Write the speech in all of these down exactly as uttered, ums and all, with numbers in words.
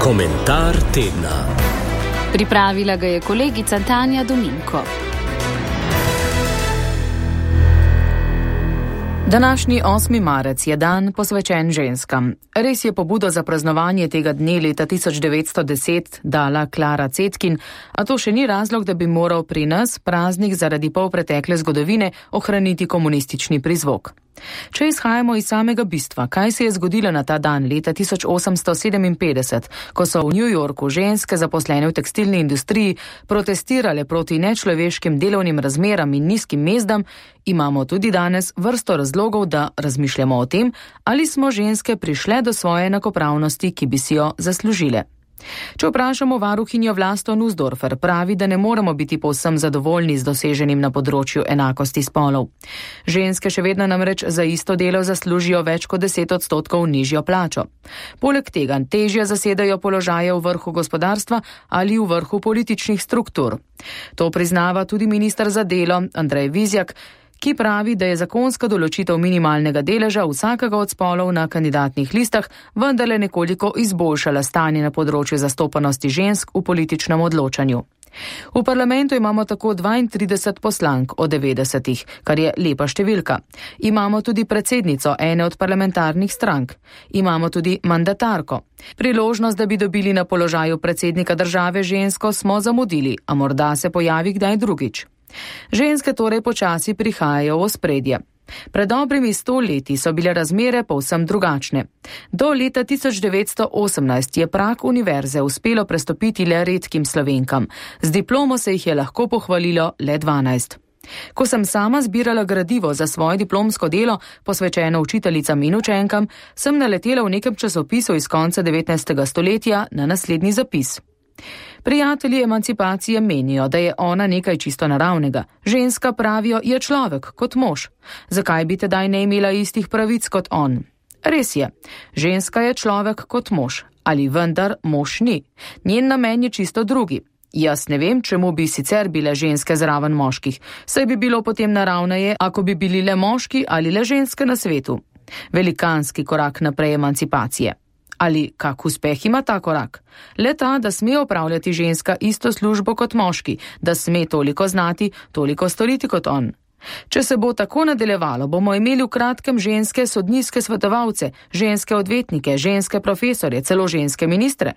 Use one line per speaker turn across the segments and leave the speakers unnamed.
Komentar tedna.
Pripravila ga je kolegica Tanja Dominko.
Današnji osmi marec je dan posvečen ženskam. Res je pobudo za praznovanje tega dne leta tisoč devetsto deset dala Klara Cetkin, a to še ni razlog, da bi moral pri nas praznik zaradi polpretekle zgodovine ohraniti komunistični prizvok. Če izhajamo iz samega bistva, kaj se je zgodilo na ta dan leta tisoč osemsto sedeminpetdeset, ko so v New Yorku ženske zaposlene v tekstilni industriji protestirale proti nečloveškim delovnim razmeram in nizkim mezdam, imamo tudi danes vrsto razlogov, da razmišljamo o tem, ali smo ženske prišle do svoje enakopravnosti, ki bi si jo zaslužile. Če vprašamo varuhinjo Vlasto Nussdorfer, pravi, da ne moremo biti povsem zadovoljni z doseženim na področju enakosti spolov. Ženske še vedno namreč za isto delo zaslužijo več kot deset odstotkov nižjo plačo. Poleg tega težje zasedajo položaje v vrhu gospodarstva ali v vrhu političnih struktur. To priznava tudi minister za delo Andrej Vizjak, ki pravi, da je zakonska določitev minimalnega deleža vsakega od spolov na kandidatnih listah vendarle nekoliko izboljšala stanje na področju zastopanosti žensk v političnem odločanju. V parlamentu imamo tako dvaintrideset poslank od devetdesetih, kar je lepa številka. Imamo tudi predsednico ene od parlamentarnih strank. Imamo tudi mandatarko. Priložnost, da bi dobili na položaju predsednika države žensko, smo zamudili, a morda se pojavi kdaj drugič. Ženske torej počasi prihajajo v ospredje. Pred dobrimi sto leti so bile razmere povsem drugačne. Do leta tisoč devetsto osemnajst je prag univerze uspelo prestopiti le redkim Slovenkam. Z diplomo se jih je lahko pohvalilo le dvanajst. Ko sem sama zbirala gradivo za svoje diplomsko delo, posvečeno učiteljicam in učenkam, sem naletela v nekem časopisu iz konca devetnajstega stoletja na naslednji zapis. Prijatelji emancipacije menijo, da je ona nekaj čisto naravnega. Ženska, pravijo, je človek kot mož. Zakaj bi tedaj ne imela istih pravic kot on? Res je, ženska je človek kot mož, ali vendar mož ni. Njen namen je čisto drugi. Jaz ne vem, čemu bi sicer bile ženske zraven moških, saj bi bilo potem naravneje, ako bi bili le moški ali le ženske na svetu. Velikanski korak naprej emancipacije. Ali kak uspeh ima ta korak? Le ta, da sme opravljati ženska isto službo kot moški, da sme toliko znati, toliko storiti kot on. Če se bo tako nadaljevalo, bomo imeli v kratkem ženske sodniške svetovalce, ženske odvetnike, ženske profesorje, celo ženske ministre.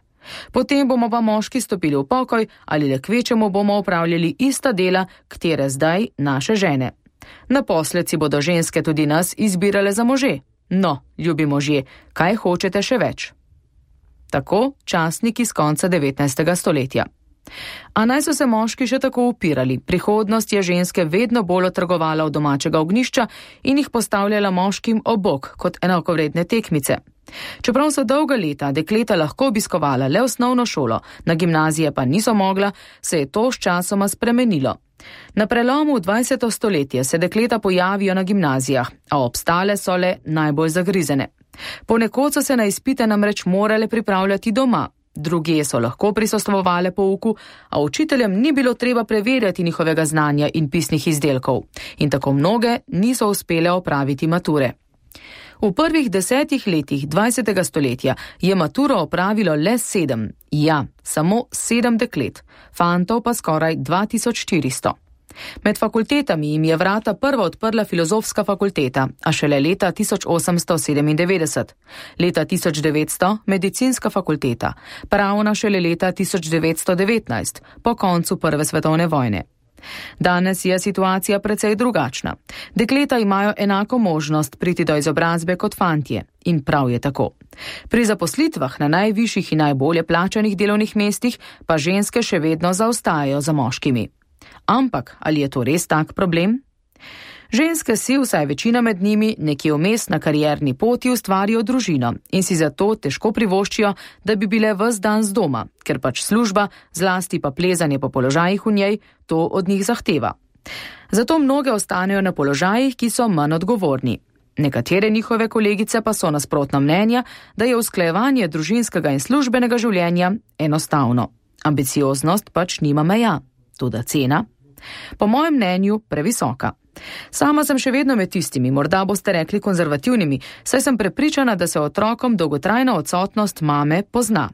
Potem bomo pa moški stopili v pokoj ali le kvečemu bomo opravljali ista dela, katere zdaj naše žene. Naposled si bodo ženske tudi nas izbirale za može. No, ljubi možje, kaj hočete še več? Tako časnik iz konca devetnajstega stoletja. A naj so se moški še tako upirali, prihodnost je ženske vedno bolj otrgovala od domačega ognjišča in jih postavljala moškim ob bok kot enakovredne tekmice. Čeprav so dolga leta dekleta lahko obiskovala le osnovno šolo, na gimnazije pa niso mogla, se je to s časoma spremenilo. Na prelomu dvajsetega stoletja se dekleta pojavijo na gimnazijah, a obstale so le najbolj zagrizene. Ponekod so se na izpite namreč morale pripravljati doma, drugje so lahko prisostvovale pouku, a učiteljem ni bilo treba preverjati njihovega znanja in pisnih izdelkov, in tako mnoge niso uspele opraviti mature. V prvih desetih letih dvajsetega stoletja je maturo opravilo le sedem, ja, samo sedem deklet, fantov pa skoraj dva tisoč štiristo. Med fakultetami jim je vrata prva odprla filozofska fakulteta, a šele leta tisoč osemsto sedemindevetdeset, leta tisoč devetsto medicinska fakulteta, pravna šele leta tisoč devetsto devetnajst, po koncu prve svetovne vojne. Danes je situacija precej drugačna. Dekleta imajo enako možnost priti do izobrazbe kot fantje in prav je tako. Pri zaposlitvah na najvišjih in najbolje plačanih delovnih mestih pa ženske še vedno zaostajajo za moškimi. Ampak ali je to res tak problem? Ženske si, vsaj večina med njimi, nekje vmes na karierni poti ustvarijo družino in si zato težko privoščijo, da bi bile ves dan z doma, ker pač služba, zlasti pa plezanje po položajih v njej, to od njih zahteva. Zato mnoge ostanejo na položajih, ki so manj odgovorni. Nekatere njihove kolegice pa so nasprotna mnenja, da je usklajevanje družinskega in službenega življenja enostavno. Ambicioznost pač nima meja, toda cena? Po mojem mnenju previsoka. Sama sem še vedno med tistimi, morda boste rekli konzervativnimi, saj sem prepričana, da se otrokom dolgotrajna odsotnost mame pozna.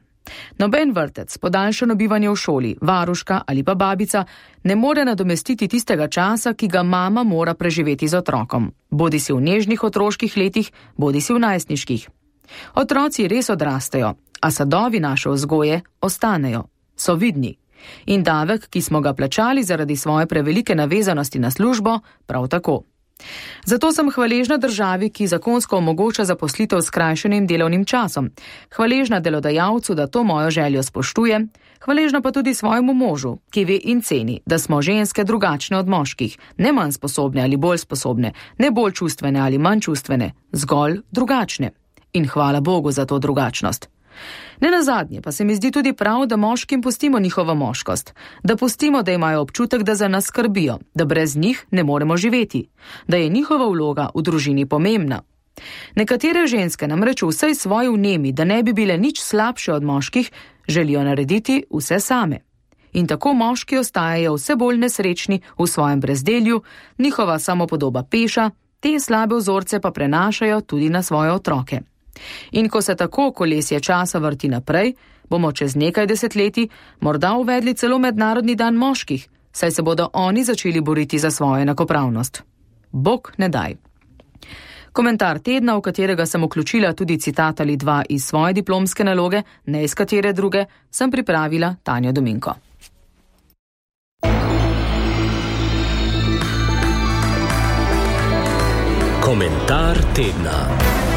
Noben vrtec, podaljšano bivanje v šoli, varuška ali pa babica ne more nadomestiti tistega časa, ki ga mama mora preživeti z otrokom, bodi si v nežnih otroških letih, bodi si v najstniških. Otroci res odrastejo, a sadovi naše vzgoje ostanejo, so vidni. In davek, ki smo ga plačali zaradi svoje prevelike navezanosti na službo, prav tako. Zato sem hvaležna državi, ki zakonsko omogoča zaposlitev s skrajšanim delovnim časom, hvaležna delodajalcu, da to mojo željo spoštuje, hvaležna pa tudi svojemu možu, ki ve in ceni, da smo ženske drugačne od moških, ne manj sposobne ali bolj sposobne, ne bolj čustvene ali manj čustvene, zgolj drugačne. In hvala Bogu za to drugačnost. Ne nazadnje pa se mi zdi tudi prav, da moškim pustimo njihovo moškost, da pustimo, da imajo občutek, da za nas skrbijo, da brez njih ne moremo živeti, da je njihova vloga v družini pomembna. Nekatere ženske namreč v vsej svoji vnemi, da ne bi bile nič slabše od moških, želijo narediti vse same. In tako moški ostajajo vse bolj nesrečni v svojem brezdelju, njihova samopodoba peša, te slabe vzorce pa prenašajo tudi na svoje otroke. In ko se tako kolesje časa vrti naprej, bomo čez nekaj desetletij morda uvedli celo mednarodni dan moških, saj se bodo oni začeli boriti za svojo enakopravnost. Bog ne daj. Komentar tedna, v katerega sem vključila tudi citat ali dva iz svoje diplomske naloge, ne iz katere druge, sem pripravila Tanja Dominko.
Komentar tedna.